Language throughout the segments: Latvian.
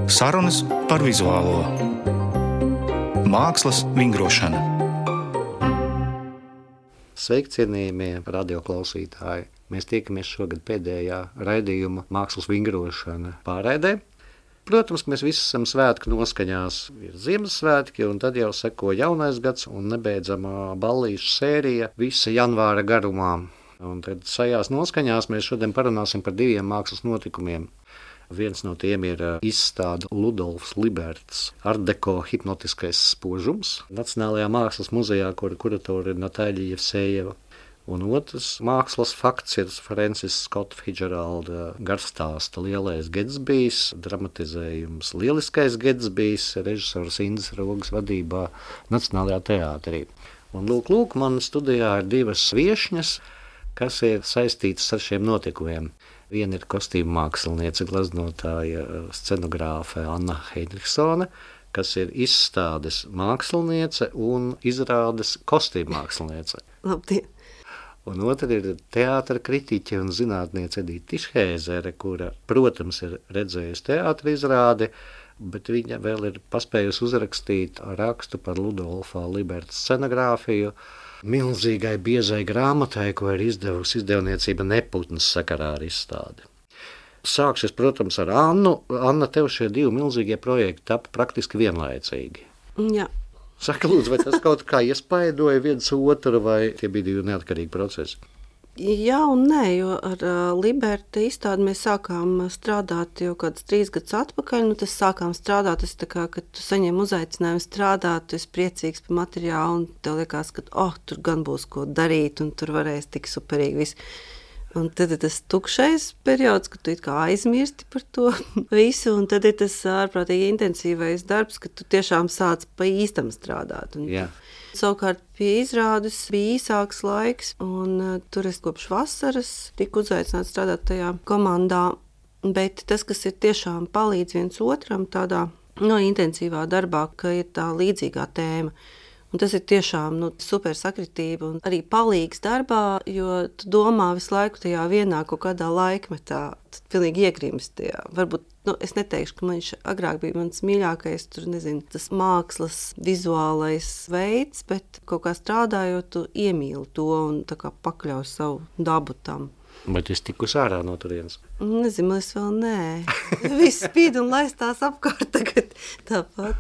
Sarunas par vizuālo mākslas vingrošanu. Sveiki, cienījamie radioklausītāji! Mēs tiekamies šogad pēdējā raidījuma mākslas vingrošana pārraidē. Protams, ka mēs visi esam svētku noskaņās. Ir Ziemassvētki, un tad jau seko jaunais gads un nebeidzamā ballīšu sērija visa janvāra garumā. Un tad šajās noskaņās mēs šodien parunāsim par diviem mākslas notikumiem. Viens no tiem ir izstāde Ludolfs Liberts Art Deco hipnotiskais spožums Nacionālajā mākslas muzejā, kura kuratore ir Natāļa Jevsejeva. Un otrs mākslas fakts ir Francis Scott Fitzgeralda garstāsta Lielais Getsbijs, dramatizējums Lieliskais Getsbijs, režisors Indas Rogas vadībā Nacionālajā teātrī. Un lūk, man studijā ir divas viešņas, kas ir saistītas ar šiem notikumiem. Viena ir kostīmu māksliniece, gleznotāja, scenogrāfe Anna Heinrichsone, kas ir izstādes māksliniece un izrādes kostīmu māksliniece. Labdien! Un otra ir teātra kritiķe un zinātniece Edita Tišhēzere, kura, protams, ir redzējusi teātra izrādi, bet viņa vēl ir paspējusi uzrakstīt rakstu par Ludolfa Liberta scenogrāfiju milzīgai biezai grāmatai, ko ir izdevusi izdevniecība Neputns sakarā ar izstādi. Sākšu, protams, ar Annu. Anna, tev šie divi milzīgie projekti tapa praktiski vienlaicīgi. Jā. Saka, lūdzu, vai tas kaut kā iespaidoja viens otru, vai tie bija divi neatkarīgi procesi? Jā un nē, jo ar Liberta izstādi mēs sākām strādāt jau kāds 3 gadus atpakaļ. Tas sākām strādāt, tas tā kā, kad tu saņem uzaicinājumu strādāt, tu esi priecīgs par materiālu un tev liekas, ka tur gan būs ko darīt un tur varēs tik superīgi viss. Un tad ir tas tukšais periods, kad tu it kā aizmirsti par to visu, un tad ir tas ārprātīgi intensīvais darbs, kad tu tiešām sāc pa īstam strādāt. Un savukārt pie izrādes bija īsāks laiks, un tur es kopš vasaras tiku uzaicināts strādāt tajā komandā, bet tas, kas ir tiešām palīdz viens otram tādā intensīvā darbā, ka ir tā līdzīgā tēma. Un tas ir tiešām super sakritība un arī palīgs darbā, jo tu domā visu laiku tajā vienā kaut kādā laikmetā, tu pilnīgi iegrimsti tajā. Varbūt, es neteikšu, ka viņš agrāk bija mans mīļākais, tas mākslas vizuālais veids, bet kaut kā strādājot, tu iemīli to un tā kā pakļauj savu dabu tam. Bet es tiku ārā no turienes? Nezinu, es vēl nē. Viss spīd un laistās apkārt tagad tāpat.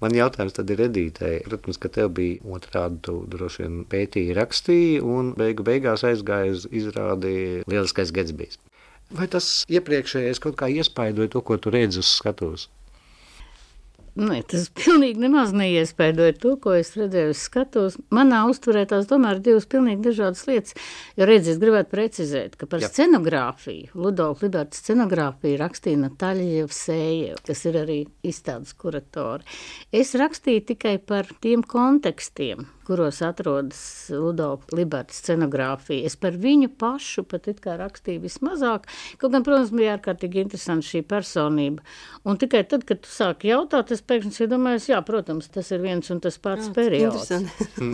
Man jautājums tad ir Edītei. Protams, ka tev bija otrādi, tu droši vien pētīji, rakstīji un beigās aizgāja uz izrādi Lieliskais Getsbijs. Vai tas iepriekšējais kaut kā iespaidoja to, ko tu redzi uz skatuves? Nē, tas pilnīgi nemaz neiespaidoja to, ko es redzēju uz skatuves. Manā uztverē tās tomēr ir divas pilnīgi dažādas lietas, jo redzi, es gribētu precizēt, ka par scenogrāfiju, Ludolfa Liberta scenogrāfiju rakstīja Natāļa Jevsejeva, kas ir arī izstādes kuratore. Es rakstīju tikai par tiem kontekstiem, kuros atrodas Ludolfa Liberta scenogrāfija. Es par viņu pašu pat it kā rakstīju vismazāk, kaut gan, protams, bija ārkārtīgi interesanti šī personība. Un tikai tad, kad tu sāki jautāt, es pēkšņi domāju, jā, protams, tas ir viens un tas pats periods.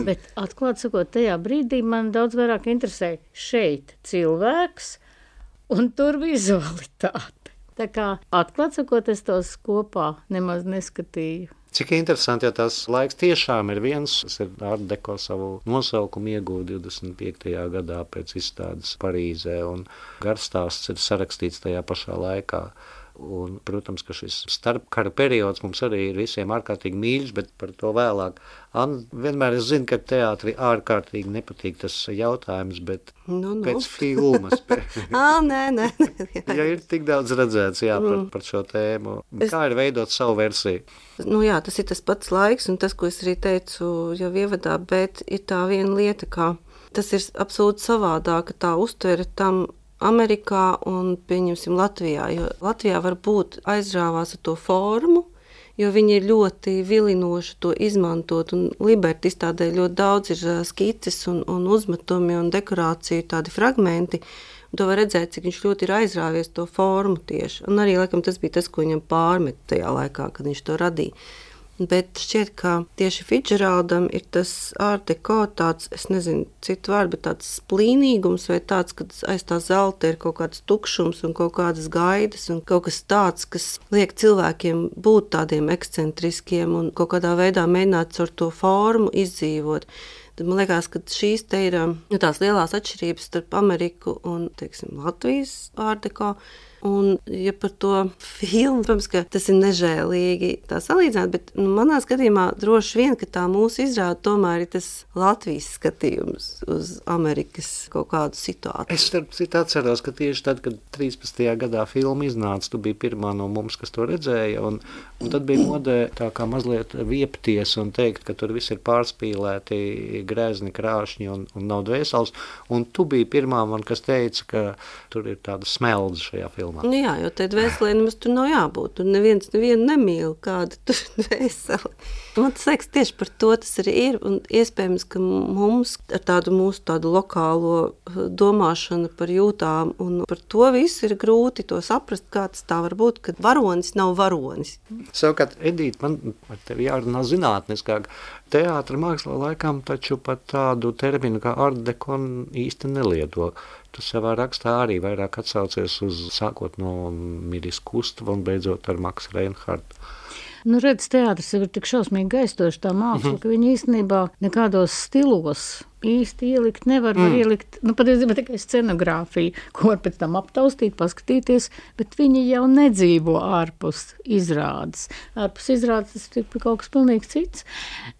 Bet atklāt sakot, tajā brīdī man daudz vairāk interesēja šeit cilvēks un tur vizualitāte. Tā kā atklāt sakot, es tos kopā nemaz neskatīju. Cik interesanti, ja tas laiks tiešām ir viens, tas ir Art Deco savu nosaukumu ieguva 25. gadā pēc izstādes Parīzē, un garstāsts ir sarakstīts tajā pašā laikā. Un, protams, ka šis starpkara periods mums arī ir visiem ārkārtīgi mīļš, bet par to vēlāk. Anna, vienmēr es zinu, ka teātri ārkārtīgi nepatīk tas jautājums, bet pēc filmas. Nē. Ja ir tik daudz redzēts par šo tēmu, kā ir veidot savu versiju? Jā, tas ir tas pats laiks, un tas, ko es arī teicu jau ievadā, bet ir tā viena lieta, ka tas ir absolūti savādāk, ka tā uztvere tam Amerikā un, pieņemsim, Latvijā, jo Latvijā varbūt aizrāvās ar to formu, jo viņi ir ļoti vilinoši to izmantot, un Liberta izstādē ļoti daudz ir skices un uzmetumi un dekorāciju tādi fragmenti, un to var redzēt, cik viņš ļoti ir aizrāvies to formu tieši, un arī, laikam, tas bija tas, ko viņam pārmet tajā laikā, kad viņš to radīja. Bet šķiet, ka tieši Fitzgeraldam ir tas art deco tāds, es nezinu citu vārdu, bet tāds splīnīgums vai tāds, kad aiz tā zelta ir kaut kāds tukšums un kaut kādas gaidas un kaut kas tāds, kas liek cilvēkiem būt tādiem ekscentriskiem un kaut kādā veidā mēģināt ar to formu izdzīvot. Tad man liekas, ka šīs te ir tās lielās atšķirības starp Ameriku un, teiksim, Latvijas art deco. Un, ja par to filmu, protams, ka tas ir nežēlīgi tā salīdzināt, bet manā skatījumā droši vien, ka tā mūsu izrāda tomēr ir tas Latvijas skatījums uz Amerikas kaut kādu situāciju. Es starp citu atceros, ka tieši tad, kad 13. gadā filma iznāca, tu biji pirmā no mums, kas to redzēja, un tad bija modē tā kā mazliet viepties un teikt, ka tur viss ir pārspīlēti, grēzni, krāšņi un nav dvēseles, un tu biji pirmā man, kas teica, ka tur ir tāda smeldze šajā filmā. Nu jā, jo te dvēselē nemaz tur nav jābūt. Tur nevienu nemīl, kāda tur dvēsele. Man tas liekas, tieši par to tas arī ir. Un iespējams, ka mums ar tādu mūsu tādu lokālo domāšanu par jūtām un par to visu ir grūti to saprast, kā tas tā var būt, kad varonis nav varonis. Savukārt, Edīte, man ar tevi jārunā zinātniskāk. Teātra mākslā laikam taču pat tādu terminu kā art deco īsti nelieto. Tu savā rakstā arī vairāk atsaucies uz sākot no Miris Kustava un beidzot ar Maksu Reinhardu. Nu, redz, teātris ir tik šausmīgi gaistoši tā māksla, ka viņi īstenībā nekādos stilos īsti ielikt nevar ielikt, patiesībā tikai scenogrāfiju, ko var pēc tam aptaustīt, paskatīties, bet viņi jau nedzīvo ārpus izrādes. Ārpus izrādes tas ir kaut kas pilnīgi cits,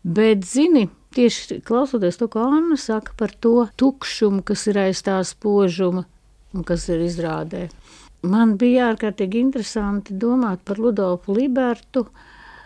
bet zini, tieši klausoties to, ko Anna saka par to tukšumu, kas ir aiz tā spožuma un kas ir izrādē. Man bija ārkārtīgi interesanti domāt par Ludolfu Libertu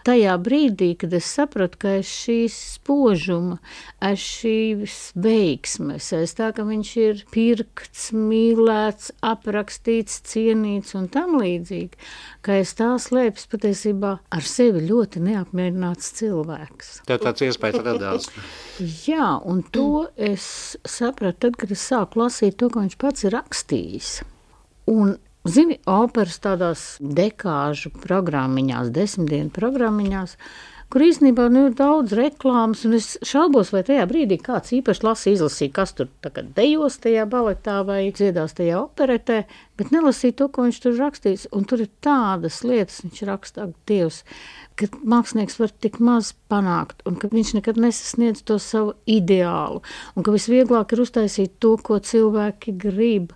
tajā brīdī, kad es sapratu, ka aiz šīs spožuma, aiz šīs veiksmes, aiz tā, ka viņš ir pirkts, mīlēts, aprakstīts, cienīts un tam līdzīgi, ka aiz tā slēpjas patiesībā ar sevi ļoti neapmierināts cilvēks. Tev tāds iespējas radās. Jā, un to es sapratu tad, kad es sāku lasīt to, ko viņš pats ir rakstījis. Un zini, operas tādās dekāžu programmiņās, 10 dienu programmiņās, kur īstenībā ir daudz reklāmas, un es šaubos, vai tajā brīdī kāds īpaši izlasīja, kas tur tagad dejos tajā baletā vai dziedās tajā operetē, bet nelasīja to, ko viņš tur rakstīs. Un tur ir tādas lietas, viņš rakstā, Dievs, ka mākslinieks var tik maz panākt, un ka viņš nekad nesasniedz to savu ideālu, un ka visvieglāk ir uztaisīt to, ko cilvēki grib.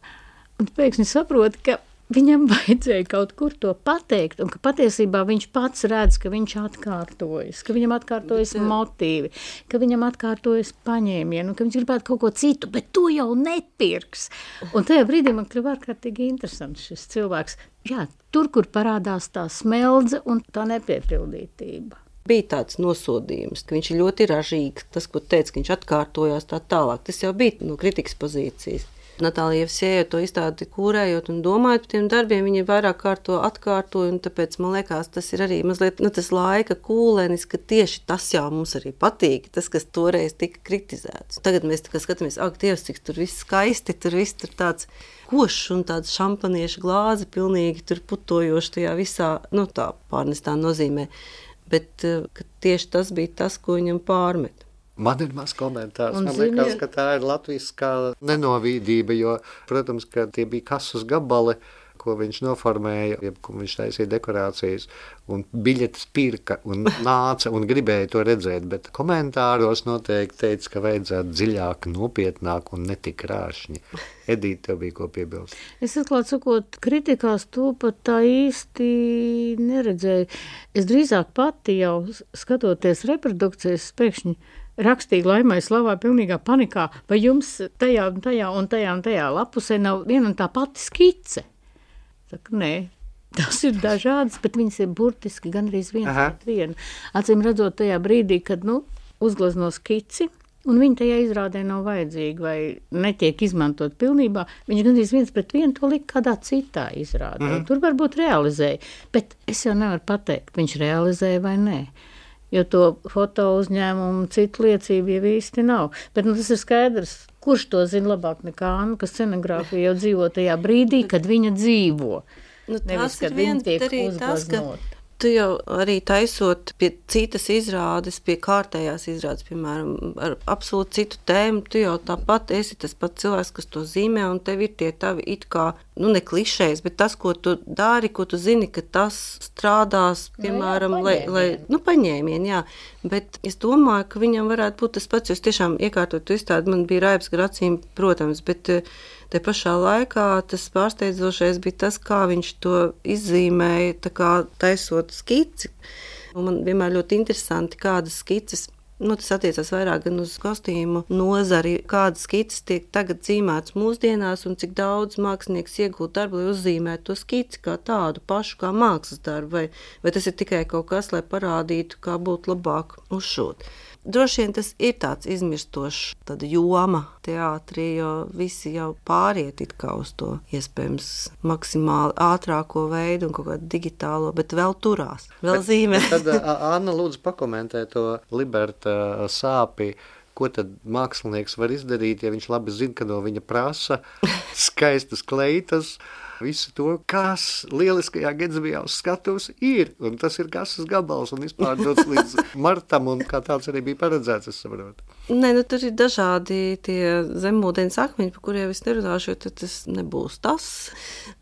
Un pēkšņi saproti, ka viņam vajadzēja kaut kur to pateikt, un ka patiesībā viņš pats redz, ka viņš atkārtojas, ka viņam atkārtojas motīvi, ka viņam atkārtojas paņēmieni, un ka viņš gribētu kaut ko citu, bet to jau nepirks. Un tajā brīdī man kļuva ārkārtīgi interesants šis cilvēks. Jā, tur, kur parādās tā smeldze un tā nepiepildītība. Bija tāds nosodījums, ka viņš ir ļoti ražīgs, tas, ko teica, ka viņš atkārtojās tā tālāk. Tas jau bija no kritikas pozīcijas. Natālija Jevsejeva to izstādi kūrējot un domājot par tiem darbiem, viņi vairāk kārto atkārtoja, un tāpēc man liekas, tas ir arī mazliet tas laika kūlenis, ka tieši tas jau mums arī patīk, tas, kas toreiz tika kritizēts. Tagad mēs skatāmies, ak, Dievs, cik tur viss skaisti, tur viss tur tāds košs un tāds šampanieša glāzi pilnīgi tur putojoši tajā visā, tā pārnestā nozīmē, bet tieši tas bija tas, ko viņam pārmet. Man ir maz komentārs. Man liekas, ka tā ir latviskā nenovīdība, jo, protams, ka tie bija kasus gabali, ko viņš noformēja, ko viņš taisīja dekorācijas, un biļetes pirka un nāca un gribēja to redzēt, bet komentāros noteikti teica, ka vajadzētu dziļāk, nopietnāk un netik krāšņi. Edīte, tev bija ko piebilst? Es atklāt sakot, kritikās to pat tā īsti neredzēju. Es drīzāk pati jau skatoties reprodukcijas pēkšņi rakstīja Laimai Slavā pilnīgā panikā, vai jums tajā un tajā un tajā un tajā lapusē nav viena un tā pati skice? Saka, nē, tas ir dažādas, bet viņas ir burtiski gandrīz viens pret vienu. Acīm redzot tajā brīdī, kad uzglezno skici, un viņa tajā izrādē nav vajadzīga vai netiek izmantot pilnībā, viņa gandrīz viens pret vienu to lika kādā citā izrādē. Tur varbūt realizēja, bet es jau nevaru pateikt, viņš realizēja vai nē. Jo to foto uzņēmumu citu liecību jau īsti nav. Bet tas ir skaidrs, kurš to zina labāk nekā Anna, ka scenogrāfija jau dzīvo tajā brīdī, kad viņa dzīvo. Nevis, kad viņa tiek uzgleznota. Tu jau arī taisot pie citas izrādes, pie kārtējās izrādes, piemēram, ar absolūti citu tēmu, tu jau tāpat esi tas pats cilvēks, kas to zīmē, un tev ir tie tavi it kā, ne klišejas, bet tas, ko tu dari, ko tu zini, ka tas strādās, piemēram, paņēmieni, jā. Bet es domāju, ka viņam varētu būt tas pats, jo es tiešām iekārtot izstādi, man bija raips gar acīm, protams, bet te pašā laikā tas pārsteidzošais bija tas, kā viņš to izzīmēja, tā kā taisot skici. Un man vienmēr ļoti interesanti, kādas skices, tas attiecās vairāk gan uz kostīmu nozari, kādas skices tiek tagad zīmētas mūsdienās un cik daudz mākslinieks iegūt darbu, lai uzzīmētu to skici kā tādu pašu, kā mākslas darbu, vai tas ir tikai kaut kas, lai parādītu, kā būtu labāk uzšūt. Droši vien tas ir tāds izmirstošs tāda joma teātrī, jo visi jau pāriet it kā uz to iespējams maksimāli ātrāko veidu un kaut kādu digitālo, bet vēl turās, vēl zīmē. Tad Anna lūdzu pakomentē to Liberta sāpi, ko tad mākslinieks var izdarīt, ja viņš labi zina, ka no viņa prasa skaistas kleitas, visu to, kas lieliskajā Gedzbijā uz skatuves ir, un tas ir kasas gabals un izpārdots līdz martam, un kā tāds arī bija paredzēts, es saprotu. Nē, tur ir dažādi tie zemūdens akmeņi, par kuriem es nerunāšu, jo tas nebūs tas,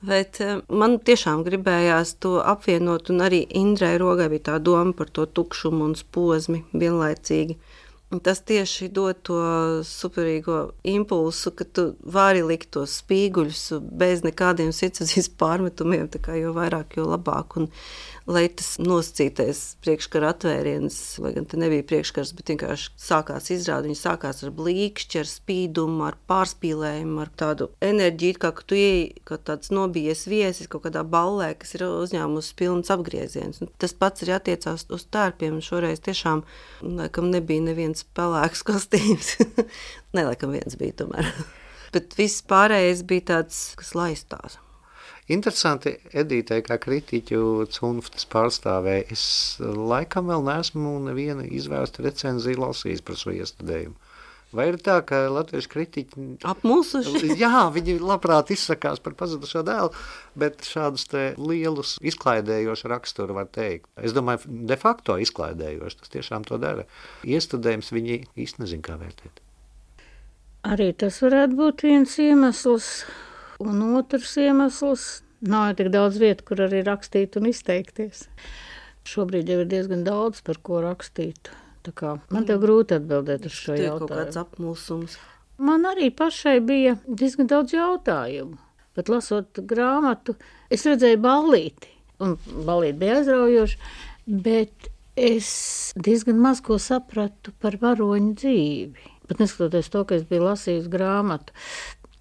bet man tiešām gribējās to apvienot, un arī Indrai Rogai bija tā doma par to tukšumu un posmi vienlaicīgi. Tas tieši dod to superīgo impulsu, ka tu vari likt tos spīguļus bez nekādiem sirdsapziņas pārmetumiem, tā kā jo vairāk, jo labāk. Un lai tas nosacītais priekškara atvēriens, lai gan te nebija priekškars, bet vienkārši sākās izrāde, viņi sākās ar blīkšķi, ar spīdumu, ar pārspīlējumu, ar tādu enerģiju, kā tu ieej, kā tāds nobijies viesis kaut kādā ballē, kas ir uzņēmusi pilns apgrieziens. Un tas pats arī attiecās uz tērpiem, un šoreiz tiešām, laikam, nebija neviens pelēks kostīms. Ne, laikam viens bija tomēr. Bet viss pārējais bija tāds, kas laistās. Interesanti, Edītei, kā kritiķu cunftas pārstāvēja, es laikam vēl neesmu nevienu izvērstu recenziju lasījis par šo iestudējumu. Vai ir tā, ka latviešu kritiķi apmulsuši? Jā, viņi labprāt izsakās par pazudušo dēlu, bet šādus te lielus izklaidējošu raksturu var teikt. Es domāju, de facto izklaidējoši, tas tiešām to dara. Iestudējums viņi īsti nezin, kā vērtēt. Arī tas varētu būt viens iemesls. Un otrs iemesls, nav tik daudz vietu, kur arī rakstīt un izteikties. Šobrīd jau ir diezgan daudz, par ko rakstīt. Tā kā man tev grūti atbildēt uz šo jautājumu. Kaut kāds apmulsums. Man arī pašai bija diezgan daudz jautājumu. Bet lasot grāmatu, es redzēju ballīti. Un ballīti bija aizraujoši, bet es diezgan maz ko sapratu par varoņu dzīvi. Pat neskatoties to, ka es biju lasījusi grāmatu.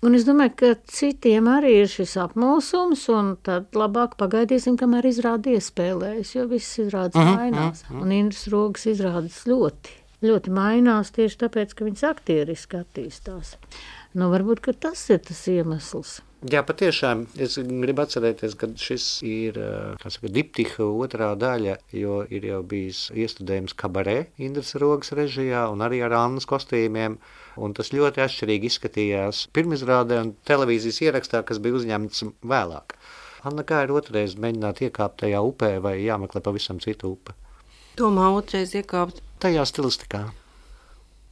Un es domāju, ka citiem arī ir šis apmulsums, un tad labāk pagaidīsim, kamēr izrādi iespēlējas, jo viss izrādes mainās. Un Indras Rogas izrādes ļoti mainās tieši tāpēc, ka viņas aktieriski attīstās. Varbūt, ka tas ir tas iemesls. Jā, patiešām, es gribu atcerēties, ka šis ir, diptiha otrā daļa, jo ir jau bijis iestudējums kabarē Indras Rogas režijā un arī ar Annas kostīmiem, un tas ļoti atšķirīgi izskatījās pirmizrādē un televīzijas ierakstā, kas bija uzņemts vēlāk. Anna, kā ir otrais mēģināt iekāpt tajā upē vai jāmeklē pavisam citu upe? Domā, otrais iekāpt? Tajā stilistikā.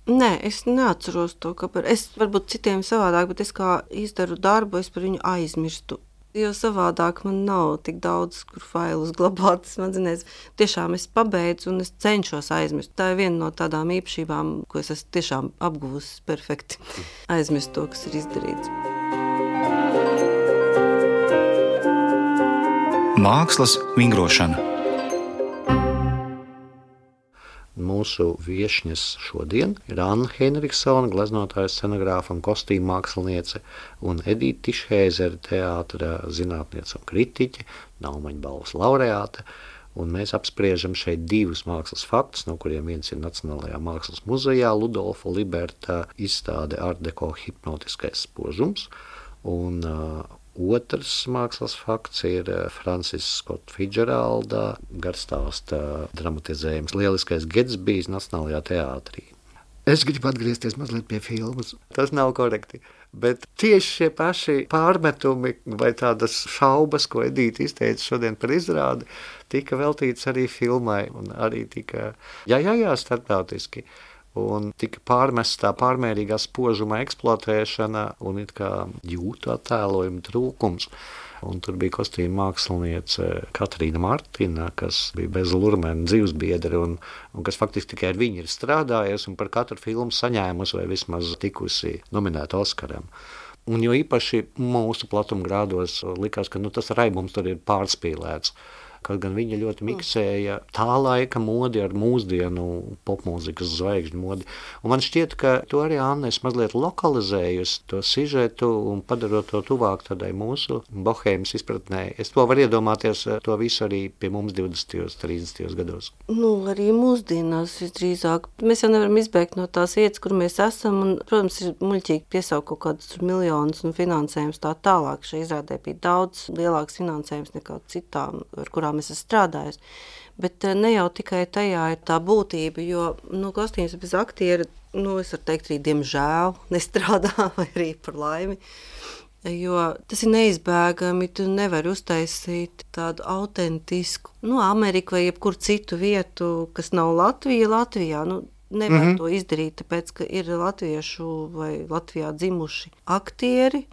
Nē, es neatceros to, kāpēc. Es varbūt citiem savādāk, bet es kā izdaru darbu, es par viņu aizmirstu. Jo savādāk man nav tik daudz, kur failus glabāt smadzenēs. Tiešām es pabeidzu un es cenšos aizmirst. Tā ir viena no tādām īpašībām, ko es esmu tiešām apguvusi perfekti. Aizmirst to, kas ir izdarīts. Mākslas vingrošana. Mūsu viešņas šodien ir Anna Henriksona, gleznotāja, scenogrāfa un kostīmu māksliniece, un Edīte Tišhēzere, teātra zinātniece un kritiķe, Naumaņa balvas laureāte, un mēs apspriežam šeit divus mākslas faktus, no kuriem viens ir Nacionālajā mākslas muzejā Ludolfa Liberta izstāde Art Deco hipnotiskais spožums, un otrs mākslas fakts ir Francis Scott Fitzgeralda garstāsta dramatizējums Lieliskais Gedzbijs Nacionālajā teātrī. Es gribu atgriezties mazliet pie filmas. Tas nav korekti. Bet tieši šie paši pārmetumi vai tādas šaubas, ko Edīte izteica šodien par izrādi, tika veltīts arī filmai un arī tika starptautiski. Un tika pārmesta tā pārmērīgā spožuma eksploatēšana un it kā jūtu attēlojuma trūkums. Un tur bija kostīma māksliniece Katrīna Martina, kas bija bez Lurmena dzīvesbiedre un kas faktiski tikai ar viņu ir strādājusi un par katru filmu saņēmusi vai vismaz tikusi nominēta Oskaram. Un jo īpaši mūsu platumgrādos likās, ka tas raibums tur ir pārspīlēts. Kaut gan viņa ļoti miksēja tā laika modi ar mūsdienu popmūzikas zvaigžņu modi. Un man šķiet, ka to arī Anna es mazliet lokalizējusi, to sižetu un padarot to tuvāk tādai mūsu bohēmas izpratnē. Es to varu iedomāties, to visu arī pie mums 20. 30. gados. Arī mūsdienās visdrīzāk. Mēs jau nevaram izbēgt no tās vietas, kur mēs esam, un, protams, ir muļķīgi piesaukt kaut kādus miljonus un finansējums tā tālāk. Šai izrādē bija daudz lielāks finansējums nekā citām, ar kurām es esmu strādājis. Bet ne jau tikai tajā ir tā būtība, jo kostīms bez aktiera, es varu teikt arī diemžēl, nestrādā vai arī par laimi. Jo tas ir neizbēgami, tu nevari uztaisīt tādu autentisku, Ameriku vai jebkuru citu vietu, kas nav Latvijā. Nevar to izdarīt, tāpēc, ka ir latviešu vai Latvijā dzimuši aktieri,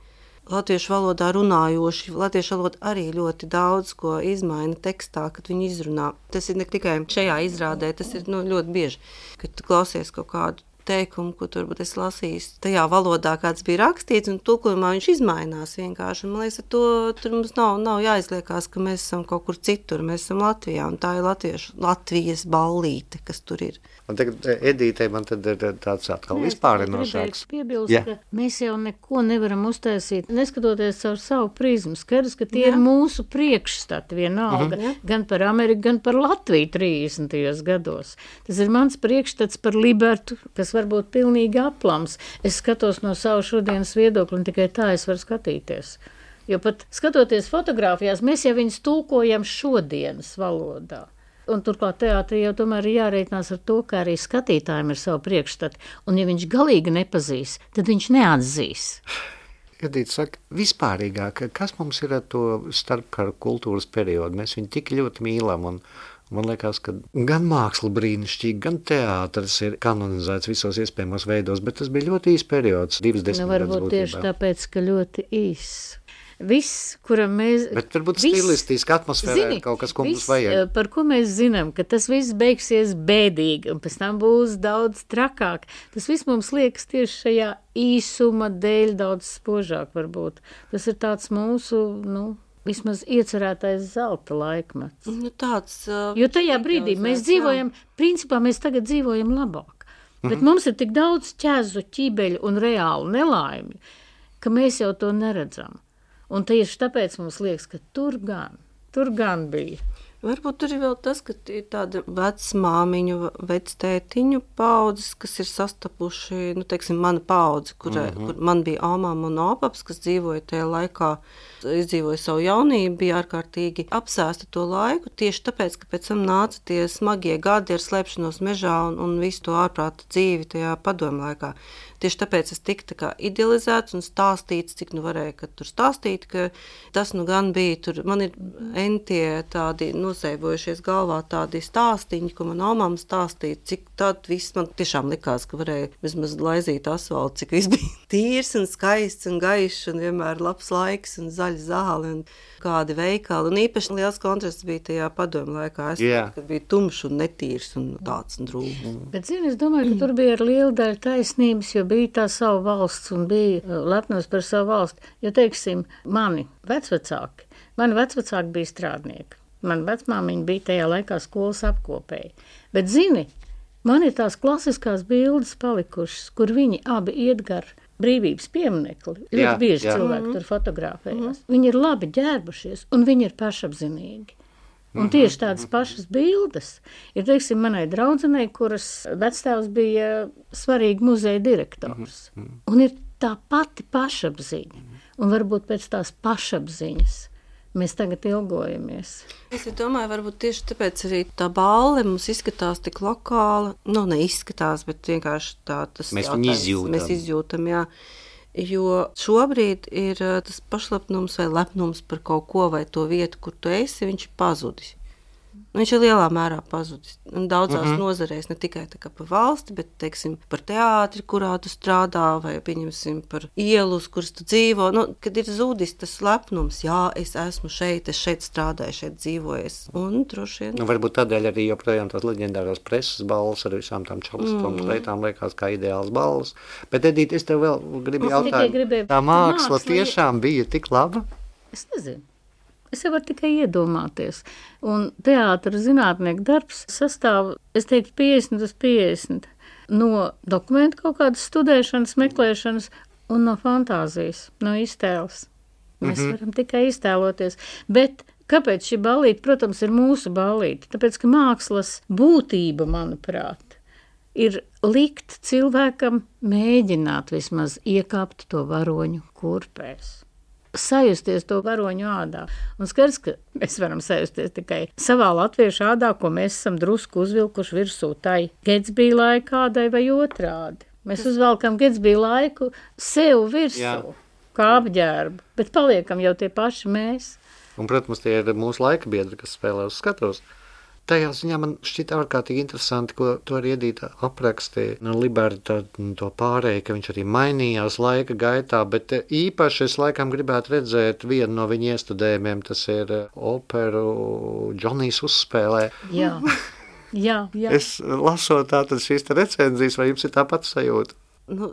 latviešu valodā runājoši. Latviešu valoda arī ļoti daudz ko izmaina tekstā, kad viņi izrunā. Tas ir ne tikai šajā izrādē, tas ir ļoti bieži, kad tu klausies kaut kādu teikumu, ko tu varbūt esi lasījis tajā valodā, kāds bija rakstīts, un tulkojumā viņš izmainās vienkārši. Man liekas, tur mums nav jāizliekās, ka mēs esam kaut kur citur, mēs esam Latvijā, un tā ir Latvijas ballīte, kas tur ir. Un tagad Edītei man tad ir tāds atkal vispārinošāks. Piebilst, ka mēs jau neko nevaram uztaisīt, neskatoties caur savu prizmu. Skaidrs, ka tie ir mūsu priekšstati vienalga, gan par Ameriku, gan par Latviju 30. gados. Tas ir mans priekšstats par Libertu, kas varbūt pilnīgi aplams. Es skatos no savu šodienas viedokli, un tikai tā es varu skatīties. Jo pat skatoties fotogrāfijās, mēs jau viņus tulkojam šodienas valodā. Un turklāt teātrī jau tomēr ir jārēķinās ar to, ka arī skatītājiem ir savu priekšstatu. Un ja viņš galīgi nepazīs, tad viņš neatzīs. Edīte saka, vispārīgāk, kas mums ir ar to starpkaru kultūras periodu? Mēs viņu tik ļoti mīlam un man liekas, ka gan māksla brīnišķīgi, gan teātris ir kanonizēts visos iespējamos veidos, bet tas bija ļoti īs periods, 2 desmitgadus varbūt tieši tāpēc, ka ļoti īs. Viss, kuram mēs... Bet varbūt stilistiski atmosfērā ir kaut kas, ko mums vajag. Par ko mēs zinām, ka tas viss beigsies bēdīgi, un pēc tam būs daudz trakāk. Tas viss mums liekas tieši šajā īsuma dēļ daudz spožāk varbūt. Tas ir tāds mūsu, vismaz iecerētais zelta laikmets. Jo tajā brīdī mēs dzīvojam, principā mēs tagad dzīvojam labāk. Bet mums ir tik daudz ķezu, ķībeļu un reālu nelaimi, ka mēs jau to neredzam. Un tieši tāpēc mums liekas, ka tur gan bija. Varbūt tur ir vēl tas, ka ir tāda vecmāmiņu, vectētiņu paudzes, kas ir sastapuši, teiksim, mana paudze, kur man bija omām un opaps, kas dzīvoja tajā laikā, izdzīvoja savu jaunību, bija ārkārtīgi apsēsta to laiku, tieši tāpēc, ka pēc tam nāca tie smagie gadi ar slēpšanos mežā un visu to ārprāta dzīvi tajā padomu laikā. Tieši tāpēc es tiku tā kā idealizēts un stāstīts, cik varēja, ka tur stāstīt, ka tas gan bija tur. Man ir entie tādi nosēbojušies galvā tādi stāstiņi, ko man omām stāstīja, cik tad viss man tiešām likās, ka varēja vismaz laizīt asfaltu, cik viss bija tīrs un skaists un gaišs un vienmēr labs laiks un zaļa zāle un kādi veikali. Un īpaši liels kontrasts bija tajā padomu laikā. Kad bija tumšs un netīrs un tāds un drūms. Bet, es domāju, ka tur bija ar lielu daļu taisnības, jo bija tā savu valsts un bija lepnos par savu valsti. Jo, teiksim, mani vecvecāki bija strādnieki. Man vecmāmiņa bija tajā laikā skolas apkopēji. Bet, man ir tās klasiskās bildes palikušas, kur viņi abi iet gar brīvības pieminekli. Ļoti bieži cilvēki tur fotografējās. Viņi ir labi ģērbušies un viņi ir pašapzinīgi. Un tieši tādas pašas bildes ir, teiksim, manai draudzenei, kuras vectēvs bija svarīgi muzeja direktors. Un ir tā pati pašapziņa. Un varbūt pēc tās pašapziņas mēs tagad ilgojamies. Es domāju, varbūt tieši tāpēc arī tā balle mums izskatās tik lokāla. Neizskatās, bet vienkārši tā tas mēs viņu izjūtam. Mēs izjūtam, jā. Jo šobrīd ir tas pašlepnums vai lepnums par kaut ko vai to vietu, kur tu esi, viņš ir pazudis. Viņš ir lielā mērā pazudis. Daudzās nozarēs, ne tikai tā kā par valsti, bet, teiksim, par teātri, kurā tu strādā, vai, pieņemsim, par ielu, uz kuras tu dzīvo. Kad ir zudis tas lepnums, jā, es esmu šeit, es šeit strādāju, šeit dzīvoju. Un droši vien. Varbūt tādēļ arī joprojām tās leģendārās preses balvas ar visām tām čalstām lietām liekas kā ideāls balvas. Bet, Edita, es tev vēl gribu jautāt, tā māksla tiešām bija tik laba? Es nezinu. Es jau varu tikai iedomāties. Un teātra zinātnieku darbs sastāv, es teiktu, 50/50 no dokumentu kaut kādas studēšanas, meklēšanas un no fantāzijas, no iztēles. Mēs varam tikai iztēloties. Bet kāpēc šī ballīte, protams, ir mūsu ballīte? Tāpēc, ka mākslas būtība, manuprāt, ir likt cilvēkam mēģināt vismaz iekāpt to varoņu kurpēs. Sajusties to varoņu ādā. Un skaidrs, ka mēs varam sajusties tikai savā latviešu ādā, ko mēs esam drusku uzvilkuši virsū tai Getsbija laikādai vai otrādi. Mēs uzvelkam Getsbija laiku sev virsū, kā apģērbu, bet paliekam jau tie paši mēs. Un, protams, tie ir mūsu laika biedri, kas spēlē uz skatos. Tajā ziņā man šķita ārkārtīgi interesanti, ko to arī Edita aprakstīja. Liberta to pārēju, ka viņš arī mainījās laika gaitā, bet īpaši es laikam gribētu redzēt vienu no viņa iestudējumiem, tas ir operu Džonijs uzspēlē. Jā. Es lasot tātad šīs recenzijas, vai jums ir tāpat sajūta?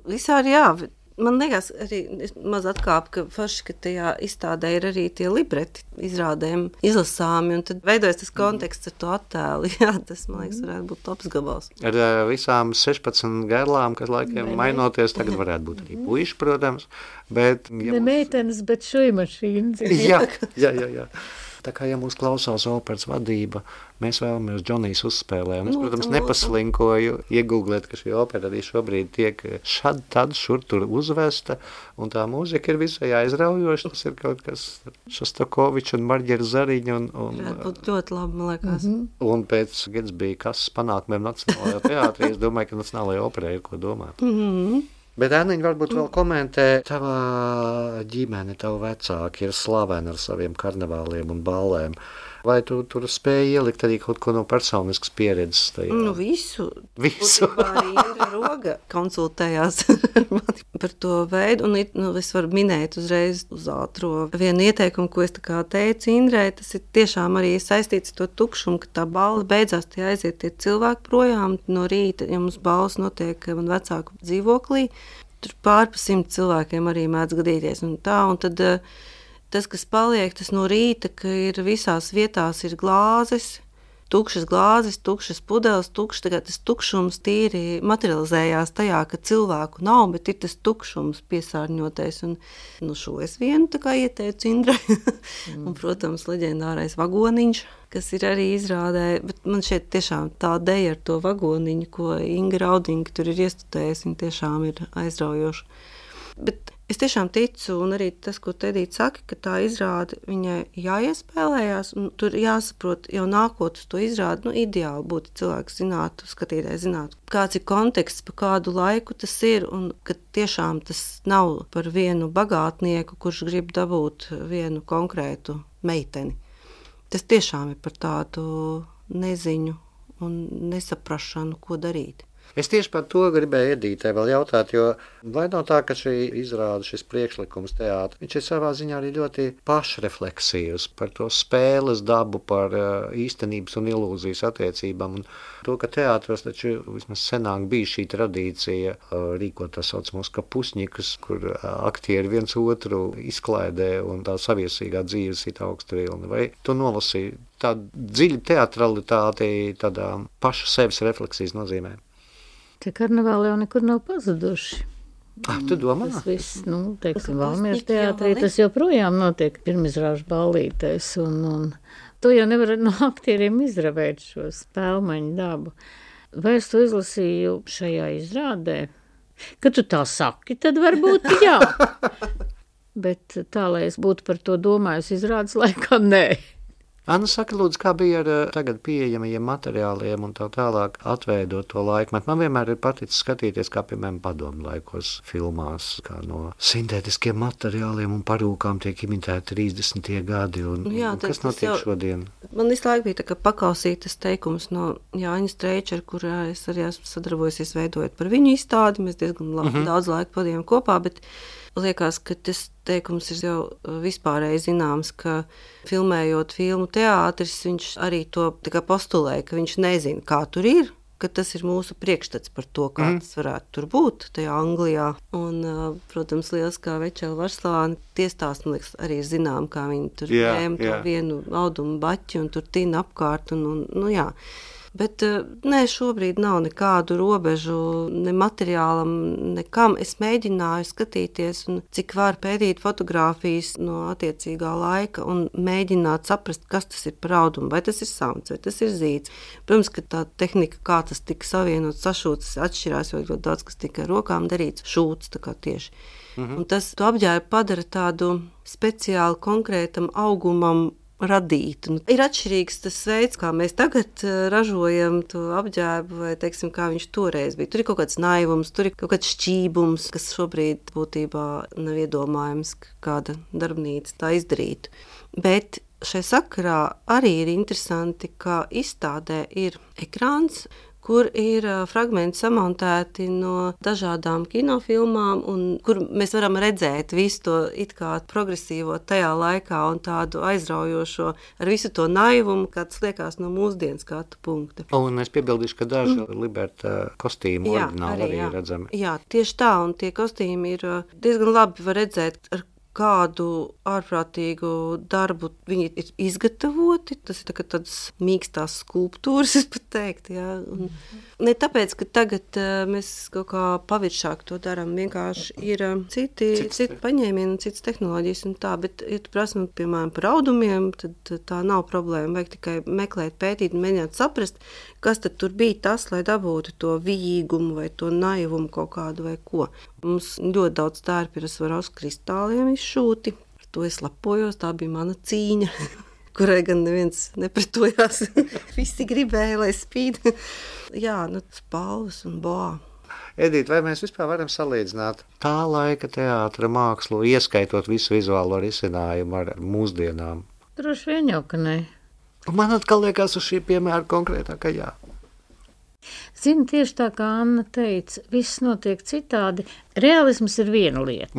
Visādi jā. Man liekas, arī maz atkāp, ka forši, ka tajā izstādē ir arī tie libreti izrādēm izlasāmi, un tad veidojas tas konteksts ar to attēlu. Jā, tas, man liekas, varētu būt labs gabals. Ar visām 16 gailām, kas laikiem mainoties, tagad varētu būt arī puiši, protams, bet... Ne meitenes, bet šuimašīnas. Jā. Tā kā, ja mūs klausās operas vadība, mēs vēlamies Džonijs uzspēlē. Un es, protams, nepaslinkoju iegooglēt, ka šī opera arī šobrīd tiek šad tad šur tur uzvesta, un tā mūzika ir visai aizraujoša. Tas ir kaut kas Šostakoviča un Marģera Zariņa. Varētu būt ļoti labi, man liekas. Un pēc Getsbija kasas panākumiem Nacionālajā teātrī, es domāju, ka Nacionālajā operā ir ko domāt. Bet, Aniņa, varbūt vēl komentē, tava ģimene, tavu vecāki ir slaveni ar saviem karnevāliem un ballēm. Vai tu tur spēji ielikt arī kaut ko no personiskas pieredzes tajā? Visu. Arī Indra Roga konsultējās par to veidu, un es varu minēt uzreiz uz ātro vienu ieteikumu, ko es tā kā teicu Indrai, tas ir tiešām arī saistīts ar to tukšumu, ka tā balla beidzās, tie aiziet tie cilvēki projām no rīta, ja mums ballas notiek man vecāku dzīvoklī, tur pārpa 100 cilvēkiem arī mēdz gadīties, un tad tas, kas paliek, tas no rīta, ka ir visās vietās ir glāzes, tukšas pudeles, tagad tas tukšums tīri materializējās tajā, ka cilvēku nav, bet ir tas tukšums piesārņotais. Un šo es vienu tā kā ieteicu Indrai. Un, protams, leģendārais vagoniņš, kas ir arī izrādē, bet man šeit tiešām tā deja ar to vagoniņu, ko Inga Raudiņa tur ir iestudējusi, viņa tiešām ir aizraujoša. Bet es tiešām ticu, un arī tas, ko Edita saka, ka tā izrāde viņai jāiespēlējās, un tur jāsaprot jau nākot uz to izrādi, ideāli būtu cilvēks zinātu, skatītājs zinātu, kāds ir konteksts, pa kādu laiku tas ir, un ka tiešām tas nav par vienu bagātnieku, kurš grib dabūt vienu konkrētu meiteni. Tas tiešām ir par tādu neziņu un nesaprašanu, ko darīt. Es tieši par to gribēju Editai vēl jautāt, jo vai nav tā, ka šī izrāda, šis priekšlikums teātra, viņš ir savā ziņā arī ļoti pašrefleksīvs par to spēles dabu, par īstenības un ilūzijas attiecībām. Un to, ka teātros taču vismaz senāk bija šī tradīcija rīkot tā saucamos kapusņikus, kur aktieri viens otru izklaidē un tā saviesīgā dzīves ir augstu vilni. Vai tu nolasīji tādu dziļu teatralitāti tādā pašu sevis refleksijas nozīmē? Tie karnevāli jau nekur nav pazuduši. Tu domā? Tas viss, teiksim, Valmieras teātrī, tas joprojām notiek pirmizrāžu ballītēs, un to jau nevar no aktieriem izravēt šo spēlmaņu dabu. Vai es to izlasīju šajā izrādē? Kad tu tā saki, tad varbūt jā. Bet tā, lai es būtu par to domājusi izrādes laikā, nē. Anna, saka, lūdzu, kā bija ar tagad pieejamajiem materiāliem un tā tālāk atveidot to laikmetu? Man vienmēr ir paticis skatīties, kā, piemēram, padomu laikos filmās, kā no sintētiskiem materiāliem un parūkām tiek imitēti 30. gadi. Jā, un kas notiek šodien? Man visu laiku bija tā kā pakausītas teikums no Jāņa Streičera, kurā es arī esmu sadarbojusies veidojot par viņu izstādi. Mēs diezgan daudz laika pavadījām kopā, bet liekas, ka tas teikums ir jau vispārēji zināms, ka filmējot filmu teātris, viņš arī to tā kā postulē, ka viņš nezina, kā tur ir, ka tas ir mūsu priekšstats par to, kā tas varētu tur būt tajā Anglijā. Un, protams, lieliskā Večela Varslāne tiestāst, man liekas, arī zinām, kā viņi tur ņēma to vienu audumu baķi un tur tīna apkārt un jā. Bet nē, šobrīd nav nekādu robežu, ne materiālam, nekam. Es mēģināju skatīties, un cik var pētīt fotogrāfijas no attiecīgā laika un mēģināt saprast, kas tas ir par audumu, vai tas ir samts, vai tas ir zīds. Protams, ka tā tehnika, kā tas tika savienots, sašūts, atšķirās, jo ļoti daudz, kas tika ar rokām darīts, šūts tā kā tieši. Un tas to apģērbu padara tādu speciāli konkrētam augumam radīt. Un ir atšķirīgs tas veids, kā mēs tagad ražojam to apģērbu, vai, teiksim, kā viņš toreiz bija. Tur ir kaut kāds naivums, tur ir kaut kāds šķībums, kas šobrīd būtībā nav iedomājams, ka kāda darbnīca tā izdarītu. Bet šai sakarā arī ir interesanti, ka izstādē ir ekrāns, kur ir fragmenti samontēti no dažādām kinofilmām, un kur mēs varam redzēt visu to it kā progresīvo tajā laikā un tādu aizraujošo ar visu to naivumu, kāds liekas no mūsdienas skatu punkta. Un es piebildīšu, ka daži Liberta kostīmu oriģināli arī redzami. Jā, tieši tā, un tie kostīmi ir diezgan labi var redzēt, ar kādu ārprātīgu darbu viņi ir izgatavoti. Tas ir tādas mīkstās skulptūras, es pat teiktu. Jā. Un ne tāpēc, ka tagad mēs kaut kā paviršāk to darām, vienkārši ir citi paņēmieni un citas tehnoloģijas un tā, bet, ja tu prasi, piemēram, par audumiem, tad tā nav problēma. Vajag tikai meklēt, pētīt un mēģināt saprast, kas tad tur bija tas, lai dabūtu to vijīgumu vai to naivumu kaut kādu vai ko. Mums ļoti daudz tērpi ir Svarovska kristāliem izšūti. Ar to es lepojos, tā bija mana cīņa, kurai gan neviens nepretojās. Visi gribēja, lai spīd. Jā, spalvas un boā. Edita, vai mēs vispār varam salīdzināt tā laika teātra mākslu, ieskaitot visu vizuālo risinājumu ar mūsdienām? Droši vien jau, ka ne. Man atkal liekas uz šī piemēra konkrētā, ka jā. Zini, tieši tā kā Anna teica, viss notiek citādi. Realisms ir viena lieta.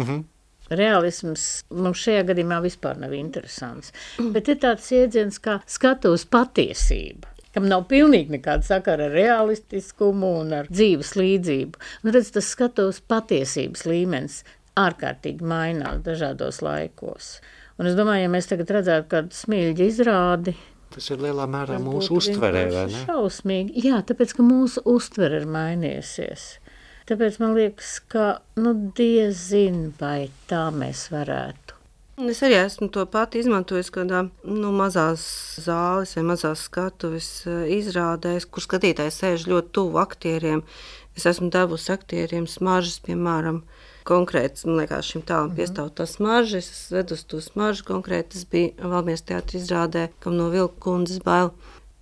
Realisms mums šajā gadījumā vispār nav interesants. Bet ir tāds iedziens kā skatuves patiesība, kam nav pilnīgi nekāda sakara ar realistiskumu un ar dzīves līdzību. Un redz, tas skatuves patiesības līmenis ārkārtīgi mainās dažādos laikos. Un es domāju, ja mēs tagad redzētu kādu Smilģa izrādi, tas ir lielā mērā mūsu uztverē, vai ne? Šausmīgi. Jā, tāpēc, ka mūsu uztvere ir mainījusies. Tāpēc man liekas, ka, diezin, vai tā mēs varētu. Es arī esmu to pati izmantojis kādā mazās zāles vai mazās skatuves izrādēs, kur skatītājs sēž ļoti tuvu aktieriem. Es esmu devusi aktieriem smaržas, piemēram, konkrēts, man liekas, šim tālam piestāv tā smarža. Es vedu uz to smaržu konkrēti. Tas bija Valmieras teātra izrādē, kam no Vilku kundzes bail.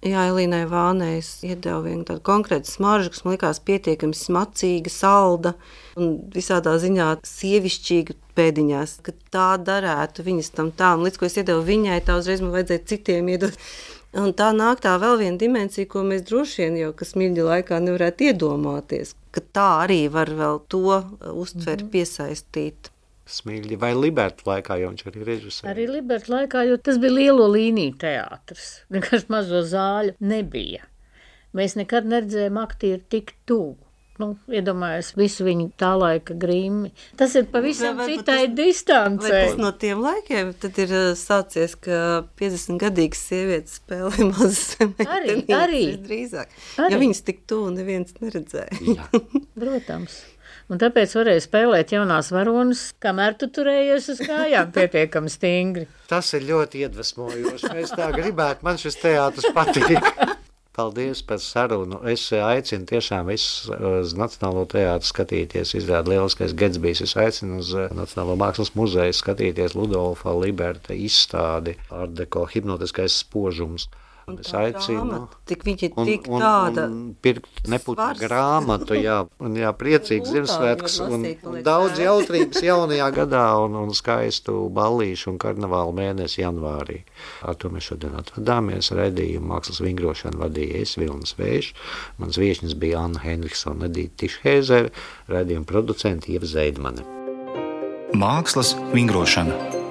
Jā, Elīnai Vānei es iedevu vienu tādu konkrētu smaržu, kas man likās pietiekami smacīga, salda un visādā ziņā sievišķīga pēdiņās, ka tā darētu viņas tām. Līdz ko es iedevu viņai, tā uzreiz man vajadzēja citiem iedot. Un tā nāk tā vēl viena dimensija, ko mēs droši vien jau, kas Smilģa laikā nevarētu iedomāties, ka tā arī var vēl to uztveri piesaistīt. Smilģa vai Liberta laikā, jo viņš arī režisēja. Arī Liberta laikā, jo tas bija lielo līniju teātris. Vienkārši mazo zāļu nebija. Mēs nekad neredzējām aktieru tik tuvu. Iedomājos visu viņu tā laika grīmi. Tas ir pavisam citai distancei. Vai tas no tiem laikiem tad ir sācies, ka 50-gadīgas sievietes spēlē mazas meitenes? Arī. Drīzāk. Ja viņas tik tuvu neviens neredzēja. Protams. Un tāpēc varēja spēlēt jaunās varonas, kamēr tu turējies uz kājām pietiekami stingri. Tas ir ļoti iedvesmojoši. Es tā gribētu, man šis teātris patīk. Paldies par sarunu. Es aicinu tiešām visus uz Nacionālo teātru skatīties. Izrāda lieliskais Getsbijs. Es aicinu uz Nacionālo mākslas muzeju skatīties Ludolfa Liberta izstādi Art Deco hipnotiskais spožums. Un es aicinu, tik viņa ir tik tāda pirkt neputnu grāmatu, un priecīgs Ziemassvētkus un daudz jautrības jaunajā gadā un skaistu ballīšu un karnevālu mēnesi janvārī. Ar to mēs šodien atvadāmies. Raidījumu Mākslas vingrošanu vadīja es, Vilnis Vējš. Mans viešņas bija Anna Henriksona, Edīte Tišhēzere, raidījuma producenti Ieva Zeidmane. Mākslas vingrošana.